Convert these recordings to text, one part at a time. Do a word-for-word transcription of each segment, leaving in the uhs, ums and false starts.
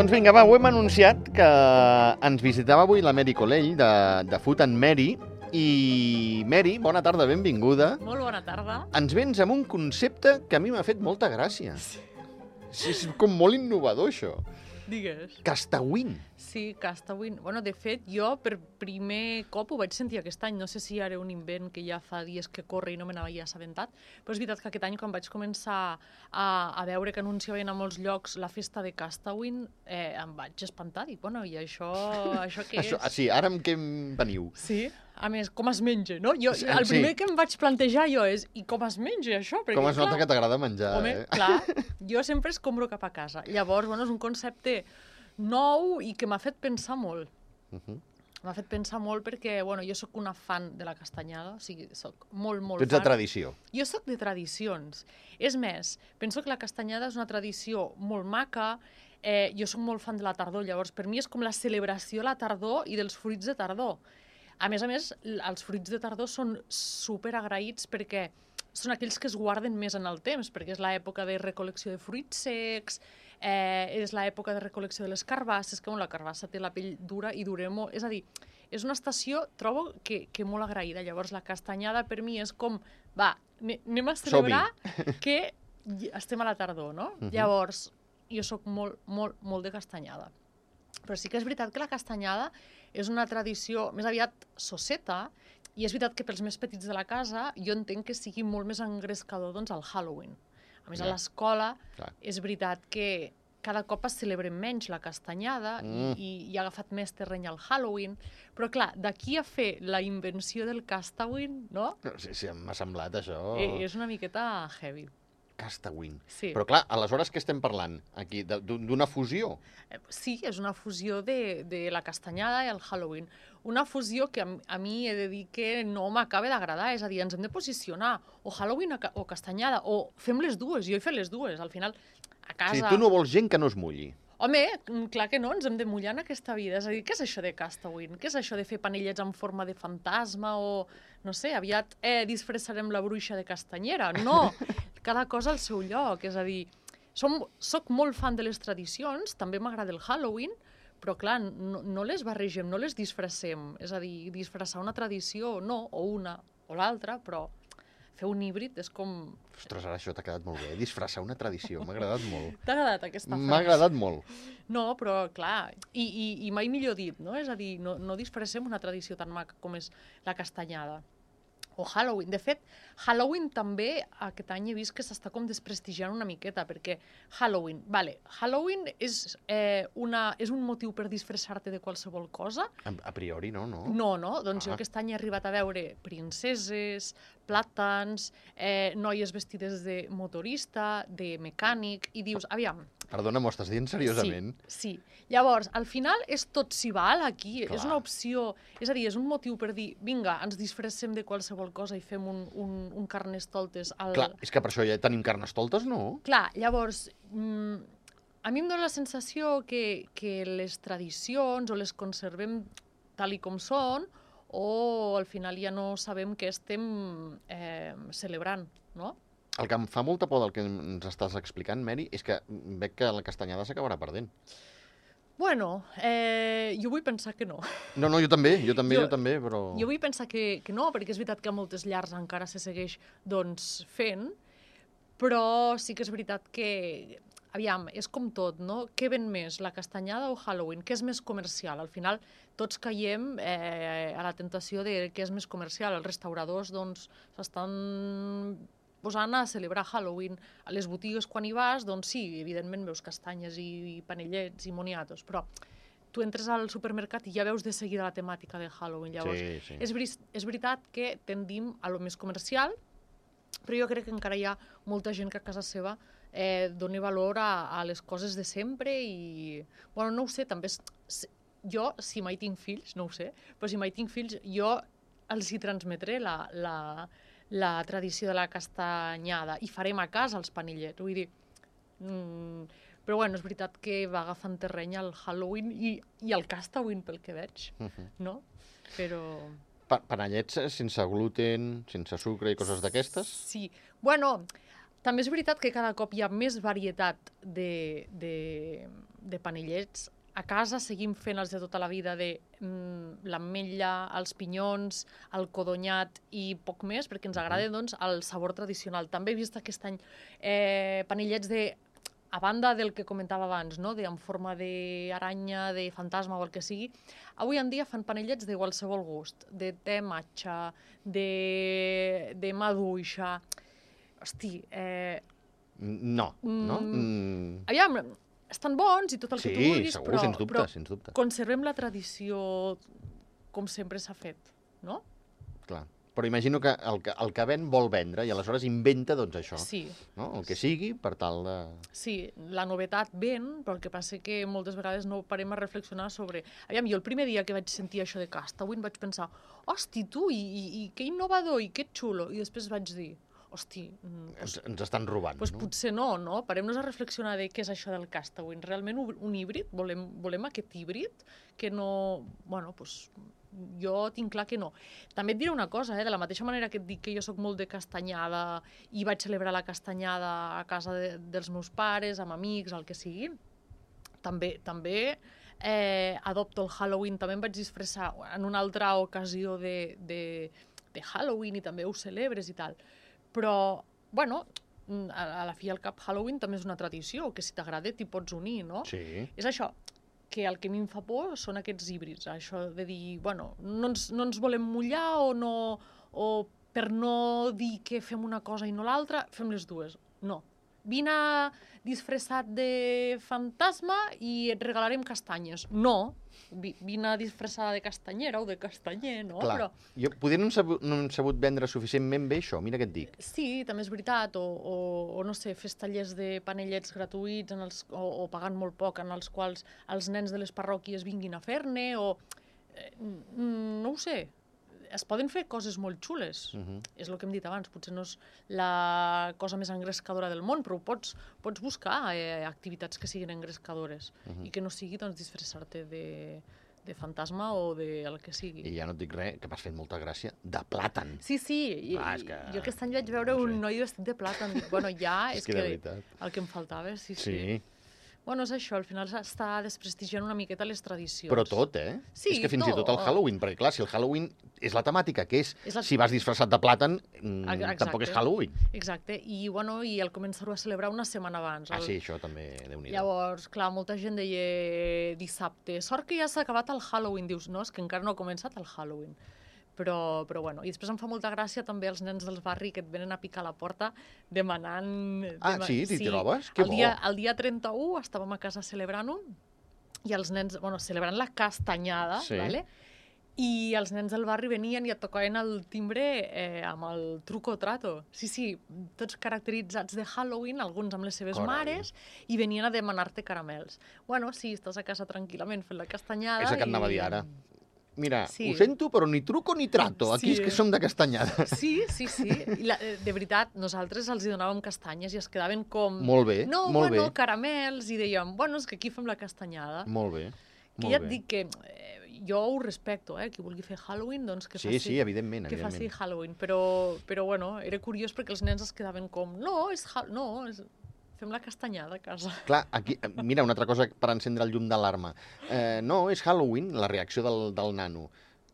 Doncs vinga, va, ho hem anunciat que ens visitava avui la Mary Colell de, de Food and Mary. I Mary, bona tarda, benvinguda. Molt bona tarda. Ens vens amb un concepte que a mi m'ha fet molta gràcia. Sí. És com molt innovador, això. Digues. Castawin. Sí, Castawin. Bueno, de fet, jo per primer cop ho vaig sentir aquest any. No sé si era un invent que ja fa dies que corre i no me n'havia assabentat, però és veritat que aquest any, quan vaig començar a, a veure que anunciaven a molts llocs la festa de Castawin, eh, em vaig espantar. Dic, bueno, i això, això què és? Això, sí, ara amb què em veniu? Sí, a més, com es menja, no? Jo, Sí, el primer sí. que em vaig plantejar jo és, i com es menja això? Perquè, Com es nota clar, que t'agrada menjar, home, eh? clar, jo sempre escombro cap a casa. Llavors, bueno, és un concepte nou i que m'ha fet pensar molt. Uh -huh. M'ha fet pensar molt perquè, bueno, jo sóc una fan de la castanyada, o sigui, sóc molt, molt Tu ets de fan. tradició. Jo sóc de tradicions. És més, penso que la castanyada és una tradició molt maca. Eh, jo sóc molt fan de la tardor, llavors per mi és com la celebració de la tardor i dels fruits de tardor. A més a més, els fruits de tardor són super agraïts perquè són aquells que es guarden més en el temps, perquè és l'època de recol·lecció de fruits secs, eh, és l'època de recol·lecció de les carbasses, que bueno, la carbassa té la pell dura i dura molt. És a dir, és una estació, trobo, que, que molt agraïda. Llavors, la castanyada per mi és com, va, anem a celebrar que estem a la tardor, no? Uh -huh. Llavors, jo sóc molt, molt, molt de castanyada. Però sí que és veritat que la castanyada és una tradició més aviat sosseta, i és veritat que pels més petits de la casa jo entenc que sigui molt més engrescador doncs, el Halloween. A més, ja. a l'escola és veritat que cada cop es celebra menys la castanyada mm. i, i ha agafat més terreny al Halloween, però clar, d'aquí a fer la invenció del Castawin, no? Sí, sí, m'ha semblat això. Eh, és una miqueta heavy. Castawin. Sí. Però clar, aleshores què estem parlant aquí? D'una fusió? Sí, és una fusió de, de la castanyada i el Halloween. Una fusió que a, a mi he de dir que no m'acaba d'agradar, és a dir, ens hem de posicionar o Halloween o castanyada, o fem les dues, jo he fet les dues, al final a casa... Sí, tu no vols gent que no es mulli. Home, clar que no, ens hem de mullar en aquesta vida. És a dir, què és això de Castawin? Què és això de fer panellets en forma de fantasma o, no sé, aviat eh, disfressarem la bruixa de castanyera? No, cada cosa al seu lloc. És a dir, som, soc molt fan de les tradicions, també m'agrada el Halloween, però clar, no, no les barregem, no les disfressem. És a dir, disfressar una tradició, no, o una o l'altra, però fer un híbrid és com... Ostres, ara això t'ha quedat molt bé. Disfressar una tradició, m'ha agradat molt. T'ha agradat aquesta frase? M'ha agradat molt. No, però clar, i, i, i mai millor dit, no? És a dir, no, no disfressem una tradició tan maca com és la castanyada. O Halloween. De fet, Halloween també aquest any he vist que s'està com desprestigiant una miqueta, perquè Halloween, vale, Halloween és, eh, una, és un motiu per disfressar-te de qualsevol cosa? A, a priori no, no? No, no? Doncs ah. jo aquest any he arribat a veure princeses, plàtans, eh, noies vestides de motorista, de mecànic, i dius, aviam... Perdona, m'ho estàs dient seriosament? Sí, sí. Llavors, al final és tot s'hi val aquí, Clar. És una opció, és a dir, és un motiu per dir, vinga, ens disfressem de qualsevol cosa i fem un, un, un carnestoltes al... Clar, és que per això ja tenim carnestoltes, no? Clar, llavors, mm, a mi em dóna la sensació que, que les tradicions o les conservem tal i com són, o al final ja no sabem què estem eh, celebrant, no? El que em fa molta por del que ens estàs explicant, Mary, és que veig que la castanyada s'acabarà perdent. Bueno, eh, jo vull pensar que no. No, no, jo també, jo també, jo, jo també, però... Jo vull pensar que, que no, perquè és veritat que a moltes llars encara se segueix doncs, fent, però sí que és veritat que, aviam, és com tot, no? Què ven més, la castanyada o Halloween? Què és més comercial? Al final tots caiem eh, a la tentació de què és més comercial. Els restauradors doncs s'estan posant a celebrar Halloween. A les botigues, quan hi vas, doncs sí, evidentment veus castanyes i, i panellets i moniatos, però tu entres al supermercat i ja veus de seguida la temàtica de Halloween. Llavors, sí, sí. És, veri és veritat que tendim a lo més comercial, però jo crec que encara hi ha molta gent que a casa seva eh, doni valor a, a les coses de sempre i... Bueno, no ho sé, també... És, jo, si mai tinc fills, no ho sé, però si mai tinc fills, jo els hi transmetré la... la la tradició de la castanyada i farem a casa els panellets, vull dir, mm, però bueno, és veritat que va agafant terreny el Halloween i, i el Castawin pel que veig, uh -huh. no? Però... Pa panellets sense gluten, sense sucre i coses d'aquestes? Sí, bueno, també és veritat que cada cop hi ha més varietat de, de, de panellets. A casa seguim fent els de tota la vida de mm, l'ametlla, els pinyons, el codonyat i poc més, perquè ens agrada doncs, el sabor tradicional. També he vist aquest any eh, panellets de, a banda del que comentava abans, no? de, en forma d'aranya, de fantasma o el que sigui, avui en dia fan panellets de qualsevol gust, de te matxa, de, de maduixa. Hosti, eh... No, no? Mm. Aviam, estan bons i tot el sí, que tu vulguis, segur, però, sens dubte, però sens dubte. conservem la tradició com sempre s'ha fet, no? Clar. Però imagino que el, que el que ven vol vendre i aleshores inventa doncs això. Sí. No? El que sigui per tal de... Sí, la novetat ven, però el que passa que moltes vegades no parem a reflexionar sobre... Aviam, jo el primer dia que vaig sentir això de Castawin vaig pensar, hosti, tu, i, i, i que innovador, i que xulo. I després vaig dir, hosti... Pues, ens, ens estan robant, pues no? Potser no, no? Parem-nos a reflexionar de què és això del Castawin. Realment un híbrid? Volem, volem aquest híbrid? Que no... Bueno, doncs... Jo tinc clar que no. També et diré una cosa, eh? De la mateixa manera que et dic que jo sóc molt de castanyada i vaig celebrar la castanyada a casa de, dels meus pares, amb amics, el que sigui, també, també eh, adopto el Halloween, també em vaig disfressar en una altra ocasió de, de, de Halloween i també ho celebres i tal. Però, bueno, a, a la fi al cap Halloween també és una tradició, que si t'agrada t'hi pots unir, no? Sí. És això, que el que a mi em fa por són aquests híbrids, això de dir, bueno, no ens, no ens volem mullar o, no, o per no dir que fem una cosa i no l'altra, fem les dues. No. Vine disfressat de fantasma i et regalarem castanyes. No. Vine disfressada de castanyera o de castanyer, no? Clar. Però... Jo, poder no hem, sabut, no hem sabut vendre suficientment bé això, mira què et dic. Sí, també és veritat, o, o, o no sé, fes tallers de panellets gratuïts en els, o, o pagant molt poc, en els quals els nens de les parròquies vinguin a fer-ne, o... Eh, no ho sé. Es poden fer coses molt xules. Uh-huh. És el que hem dit abans, potser no és la cosa més engrescadora del món, però pots, pots buscar eh, activitats que siguin engrescadores uh-huh. i que no sigui doncs, disfressar-te de, de fantasma o de el que sigui. I ja no et dic res, que m'has fet molta gràcia, de plàtan. Sí, sí. Ah, és que... Jo aquest any vaig veure no sé. un noi vestit de plàtan. Dic, bueno, ja és, és que, que el que em faltava, sí, sí. Sí. Bueno, és això, al final s'està desprestigiant una miqueta les tradicions. Però tot, eh? Sí, és que fins tot. i tot el Halloween, perquè clar, si el Halloween és la temàtica que és, és la... si vas disfressat de plàtan, Exacte. tampoc és Halloween. Exacte, i bueno, i el començar-ho a celebrar una setmana abans. Ah, el... sí, això també, Déu-n'hi-do. Llavors, clar, molta gent deia dissabte, sort que ja s'ha acabat el Halloween, dius, no, és que encara no ha començat el Halloween. Però, però bueno, i després em fa molta gràcia també els nens del barri que et venen a picar a la porta demanant... Ah, dema... sí? T'hi sí. trobes? Que el bo! Dia, el dia trenta-u estàvem a casa celebrant-ho i els nens, bueno, celebrant la castanyada, sí. ¿vale? I els nens del barri venien i et tocaven el timbre eh, amb el truco o trato. Sí, sí, tots caracteritzats de Halloween, alguns amb les seves Carai. mares, i venien a demanar-te caramels. Bueno, sí, estàs a casa tranquil·lament fent la castanyada. És el que et anava a dir i... ara. Mira, sí. ho sento, però ni truco ni trato. Aquí sí. és que som de castanyada. Sí, sí, sí. I la, de veritat, nosaltres els hi donàvem castanyes i es quedaven com... Molt bé, no, molt bueno, bé. caramels, i dèiem, bueno, és que aquí fem la castanyada. Molt bé, que molt ja et bé. dic que eh, jo ho respecto, eh? Qui vulgui fer Halloween, doncs que sí, faci... Sí, evidentment, que evidentment. faci Halloween, però, però bueno, era curiós perquè els nens es quedaven com, no, és ha... no, és... fem la castanyada a casa. Clar, aquí, mira, una altra cosa per encendre el llum d'alarma. Eh, no, és Halloween, la reacció del, del nano.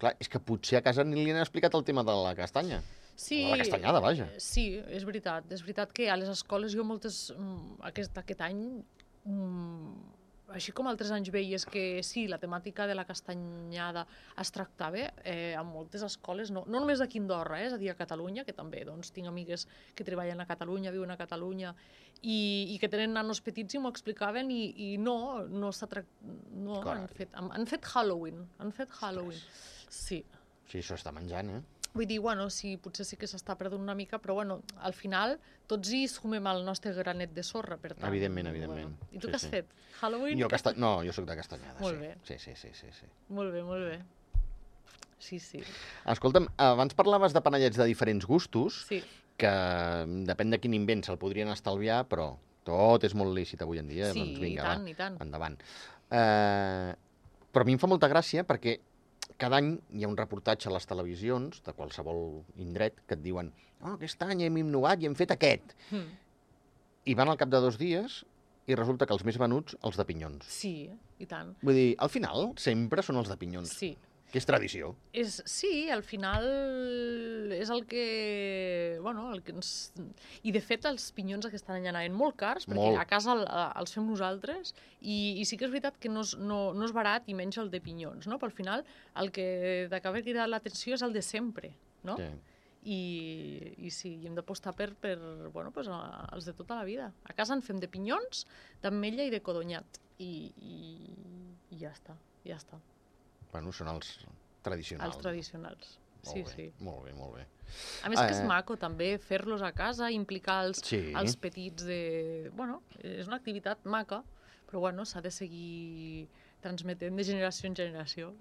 Clar, és que potser a casa ni li han explicat el tema de la castanya. Sí, de la castanyada, vaja. Sí, és veritat. És veritat que a les escoles jo moltes... Aquest, aquest any, així com altres anys veies que sí, la temàtica de la castanyada es tractava, eh, a moltes escoles, no, no només aquí a Andorra, eh, és a dir, a Catalunya, que també doncs, tinc amigues que treballen a Catalunya, viuen a Catalunya, i, i que tenen nanos petits i m'ho explicaven i, i no, no s'ha tractat... No, han fet, han, han fet Halloween, han fet Halloween. Sí. Sí, això està menjant, eh? Vull dir, bueno, sí, potser sí que s'està perdent una mica, però bueno, al final tots hi sumem el nostre granet de sorra, per tant. Evidentment, evidentment. Bueno. I tu sí, què has sí. fet? Halloween? Jo casta... No, jo sóc de castanyada, molt sí. Bé. Sí, sí, sí, sí, sí. Molt bé, molt bé. Sí, sí. Escolta'm, abans parlaves de panellets de diferents gustos, sí. que depèn de quin invent se'l podrien estalviar, però tot és molt lícit avui en dia, sí, doncs vinga, i tant, va, i tant. endavant. Uh, però a mi em fa molta gràcia perquè cada any hi ha un reportatge a les televisions de qualsevol indret que et diuen oh, aquest any hem innovat i hem fet aquest. Mm. I van al cap de dos dies i resulta que els més venuts, els de pinyons. Sí, i tant. Vull dir, al final, sempre són els de pinyons. Sí. Que és tradició. És, sí, al final és el que... Bueno, el que ens... I de fet els pinyons aquest any anaven molt cars, perquè molt. a casa el, els fem nosaltres, i, i sí que és veritat que no és, no, no és barat i menys el de pinyons, no? Però al final el que t'acaba cridant l'atenció és el de sempre, no? Sí. I, i sí, i hem d'apostar per, per bueno, pues, els de tota la vida. A casa en fem de pinyons, d'ametlla i de codonyat. I, i, i ja està, ja està. Bueno, són els tradicionals. Els tradicionals, Molt sí, bé, sí. Molt bé, molt bé. A més que és Eh, maco també fer-los a casa, implicar els, Sí. els petits de... Bueno, és una activitat maca, però bueno, s'ha de seguir transmetent de generació en generació.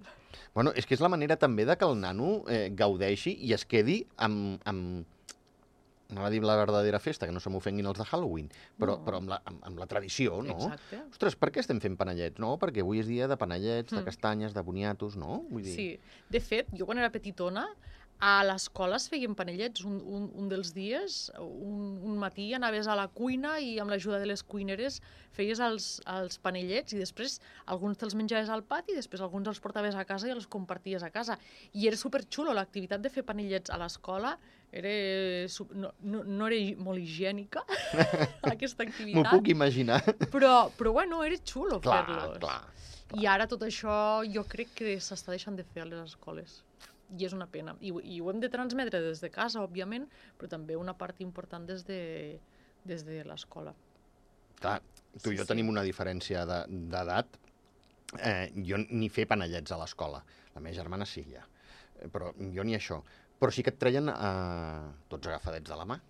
Bueno, és que és la manera també de que el nano eh, gaudeixi i es quedi amb, amb... Anava a dir la verdadera festa, que no se m'ofenguin els de Halloween, però, No. però amb, la, amb, amb la tradició, no? Exacte. Ostres, per què estem fent panellets? No, perquè avui és dia de panellets, de Mm. castanyes, de boniatos, no? Vull dir... Sí, de fet, jo quan era petitona, a l'escola es feien panellets un, un, un dels dies, un, un matí anaves a la cuina i amb l'ajuda de les cuineres feies els, els panellets i després alguns te'ls menjaves al pati i després alguns els portaves a casa i els comparties a casa. I era superxulo, l'activitat de fer panellets a l'escola era, su- no, no, no era hi- molt higiènica, aquesta M'ho activitat, puc imaginar. però, però bueno, era xulo Clar, fer-los. clar. I ara tot això jo crec que s'està deixant de fer a les escoles. I és una pena. I, ho- i ho hem de transmetre des de casa, òbviament, però també una part important des de, des de l'escola. Clar, tu i Sí, jo sí. tenim una diferència de- d'edat. Eh, jo ni fer panellets a l'escola. La meva germana sí, ja. Eh, Però jo ni això. Però sí que et treien eh, tots agafadets de la mà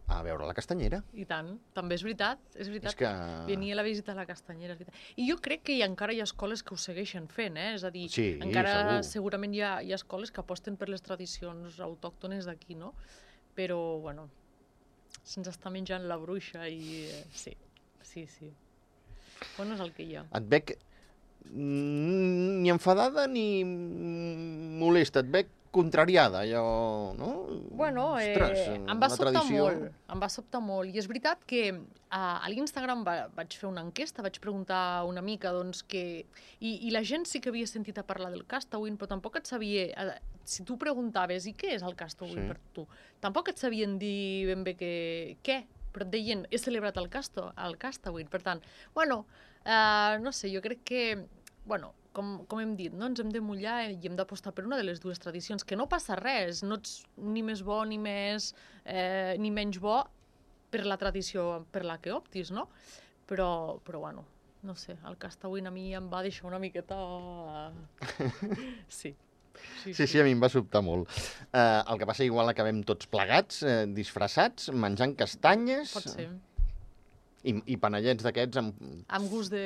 a veure la castanyera. I tant. També és veritat, és veritat. És que... Venia la visita a la castanyera, és veritat. I jo crec que hi ha, encara hi ha escoles que ho segueixen fent, eh? És a dir, Sí, encara segur. segurament hi ha, hi ha escoles que aposten per les tradicions autòctones d'aquí, no? Però, bueno, se'ns està menjant la bruixa i... Eh, sí, sí, sí. Bueno, és el que hi ha. Et veig mm, ni enfadada ni mm, molesta, et veig contrariada, allò, no? Bueno, eh, Ostres, em va la sobtar tradició... molt, em va sobtar molt. I és veritat que a, a l'Instagram va, vaig fer una enquesta, vaig preguntar una mica, doncs, que... I, I la gent sí que havia sentit a parlar del Castawin, però tampoc et sabia... eh, Si tu preguntaves, i què és el Castawin Sí. per tu? Tampoc et sabien dir ben bé que, què, però et deien, he celebrat el, casto, el Castawin. Per tant, bueno, eh, no sé, jo crec que... Bueno, com, com hem dit, no? Ens hem de mullar i hem d'apostar per una de les dues tradicions, que no passa res, no ets ni més bo ni més eh, ni menys bo per la tradició per la que optis, no? Però, però bueno, no sé, el Castawin a mi em va deixar una miqueta... Sí. Sí, Sí, sí, a mi em va sobtar molt. Eh, el que passa, igual acabem tots plegats, eh, disfressats, menjant castanyes Pot ser. i, i panellets d'aquests amb, Amb gust de...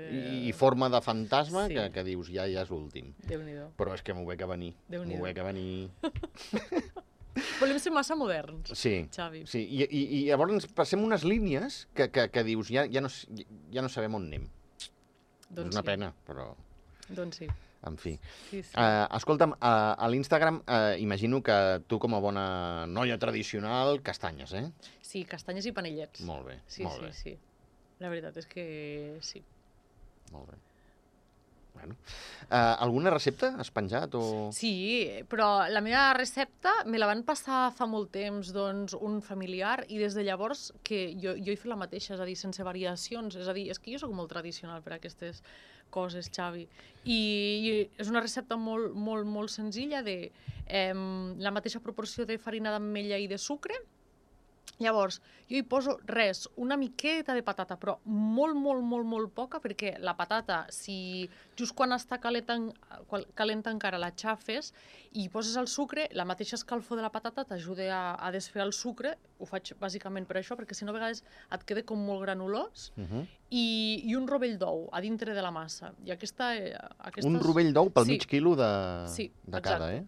i, i forma de fantasma Sí. que, que dius, ja, ja és l'últim. Déu-n'hi-do. Però és que m'ho veig a venir. Déu-n'hi-do. M'ho veig a venir. Volem ser massa moderns, Sí, Xavi. sí. I, i, i llavors passem unes línies que, que, que dius, ja, ja, no, s- ja no sabem on anem. Doncs és una sí. pena, però, Doncs sí. en fi. Sí, sí. Uh, escolta'm, uh, a l'Instagram uh, imagino que tu, com a bona noia tradicional, castanyes, eh? Sí, castanyes i panellets. Molt bé, Sí, molt sí, bé. sí. La veritat és que sí. Molt bé. Bueno. Uh, alguna recepta has penjat? O... Sí, però la meva recepta me la van passar fa molt temps doncs, un familiar i des de llavors que jo, jo he fet la mateixa, és a dir, sense variacions. És a dir, és que jo sóc molt tradicional per a aquestes coses, Xavi. I, i és una recepta molt, molt, molt senzilla de eh, la mateixa proporció de farina d'ametlla i de sucre. Llavors, jo hi poso res, una miqueta de patata, però molt, molt, molt, molt poca, perquè la patata, si just quan està calenta, quan calenta encara la xafes i hi poses el sucre, la mateixa escalfor de la patata t'ajuda a, a desfer el sucre, ho faig bàsicament per això, perquè si no a vegades et queda com molt granulós, Uh -huh. i, i un rovell d'ou a dintre de la massa. I aquesta, eh, aquestes... Un rovell d'ou pel Sí. mig quilo de, Sí, de cada, exacte. eh?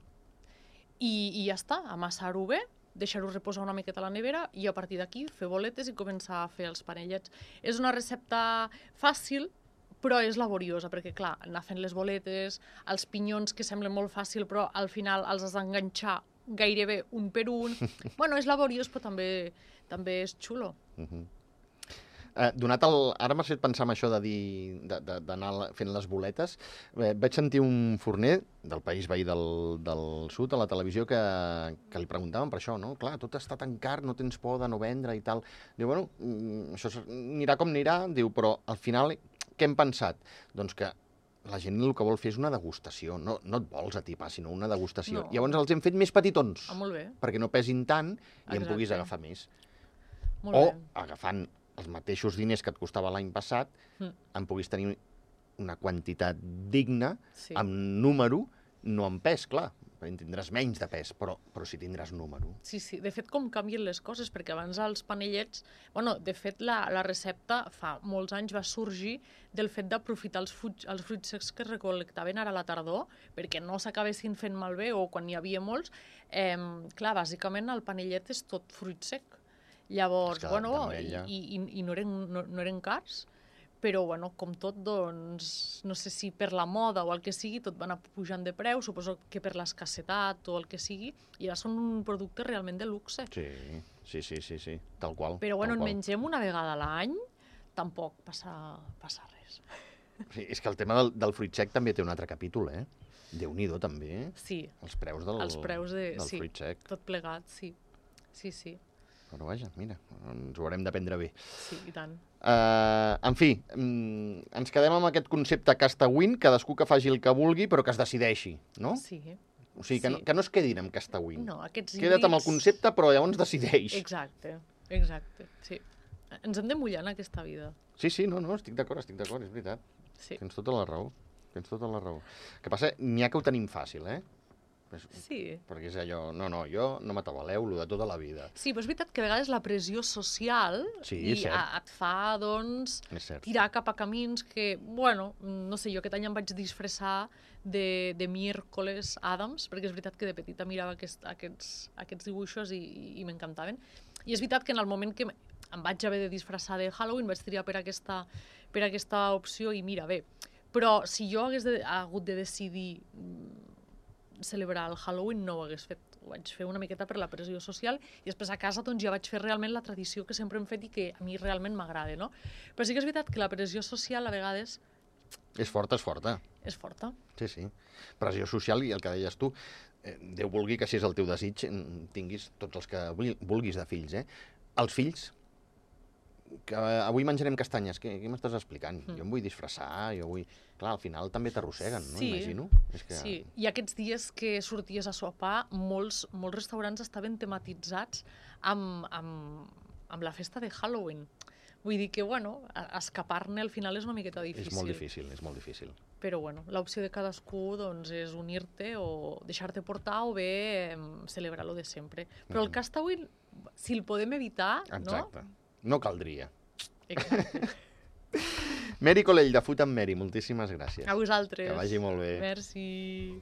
I, i ja està, amassar-ho bé, deixar-ho reposar una miqueta a la nevera i a partir d'aquí fer boletes i començar a fer els panellets. És una recepta fàcil, però és laboriosa, perquè clar, anar fent les boletes, els pinyons que semblen molt fàcil, però al final els has d'enganxar gairebé un per un. Bueno, és laboriós, però també, també és xulo. Uh -huh. Eh, donat el... Ara m'has fet pensar en això de dir... de- de- d'anar fent les boletes. Eh, vaig sentir un forner del país veí del, del sud a la televisió que, que li preguntaven per això, no? Clar, tot està tan car, no tens por de no vendre i tal. Diu, bueno, mm, això s- anirà com anirà, diu, però al final què hem pensat? Doncs que la gent el que vol fer és una degustació. No, no et vols atipar, sinó una degustació. No. Llavors els hem fet més petitons, Ah, molt bé. perquè no pesin tant i en Exacte. puguis agafar més. Molt O bé. agafant els mateixos diners que et costava l'any passat, Mm. en puguis tenir una quantitat digna, Sí. amb número, no amb pes, clar. En tindràs menys de pes, però, però sí tindràs número. Sí, sí. De fet, com canvien les coses, perquè abans els panellets... Bueno, de fet, la, la recepta fa molts anys va sorgir del fet d'aprofitar els, fruits, els fruits secs que es recol·lectaven ara a la tardor, perquè no s'acabessin fent malbé o quan n'hi havia molts. Eh, clar, bàsicament el panellet és tot fruit sec. Llavors, És que bueno, i, d'ametlla. i, i no, eren, no, no eren cars, però, bueno, com tot, doncs, no sé si per la moda o el que sigui, tot va anar pujant de preu, suposo que per l'escassetat o el que sigui, i ara són un producte realment de luxe. Sí, sí, sí, sí, sí, tal qual. Però, bueno, tal en qual. mengem una vegada a l'any, tampoc passa, passa res. Sí, és que el tema del, del fruit sec també té un altre capítol, eh? Déu-n'hi-do, també. Sí, Els preus del, els preus de... del sí, fruit sec. tot plegat, sí. Sí, sí, Però vaja, mira, ens ho haurem de prendre bé. sí, i tant. Uh, en fi, mm, ens quedem amb aquest concepte Castawin, cadascú que faci el que vulgui, però que es decideixi, no? Sí. O sigui, que, sí. no, que no es quedin amb Castawin. No, aquests Queda't amb el híbrids- concepte, però llavors decideix. Exacte, exacte, sí. Ens hem de mullar en aquesta vida. Sí, sí, no, no, estic d'acord, estic d'acord, és veritat. Sí. Tens tota la raó, tens tota la raó. El que passa, n'hi ha que ho tenim fàcil, eh? Pues, Sí. perquè és allò, no, no, jo no m'atabaleu, lo de tota la vida. Sí, però és veritat que a vegades la pressió social Sí, i és cert. a, et fa, doncs, És cert. tirar cap a camins que, bueno, no sé, jo aquest any em vaig disfressar de, de miércoles Adams, perquè és veritat que de petita mirava aquest, aquests, aquests dibuixos i, i m'encantaven. I és veritat que en el moment que em vaig haver de disfressar de Halloween vaig triar per aquesta, per aquesta opció i mira, bé, però si jo hagués de, hagut de decidir mm, celebrar el Halloween no ho hagués fet. Ho vaig fer una miqueta per la pressió social i després a casa doncs, ja vaig fer realment la tradició que sempre hem fet i que a mi realment m'agrada, no? Però sí que és veritat que la pressió social a vegades És forta, és forta. és forta. Sí, sí. Pressió social i el que deies tu, eh, Déu vulgui que si és el teu desig en tinguis tots els que vul- vulguis de fills, eh? Els fills, que avui menjarem castanyes, què, què m'estàs explicant? Mm. Jo em vull disfressar, jo vull... Clar, al final també t'arrosseguen, no? Sí. Imagino. És que... Sí, i aquests dies que sorties a sopar, molts, molts restaurants estaven tematitzats amb, amb, amb la festa de Halloween. Vull dir que, bueno, a- escapar-ne al final és una miqueta difícil. És molt difícil, és molt difícil. Però, bueno, l'opció de cadascú doncs, és unir-te o deixar-te portar o bé eh, celebrar-lo de sempre. Però el Mhm. Castawin, si el podem evitar, Exacte. No caldria. no? Exacte. Mary Colell, de Food and Mary, moltíssimes gràcies. A vosaltres. Que vagi molt bé. Merci.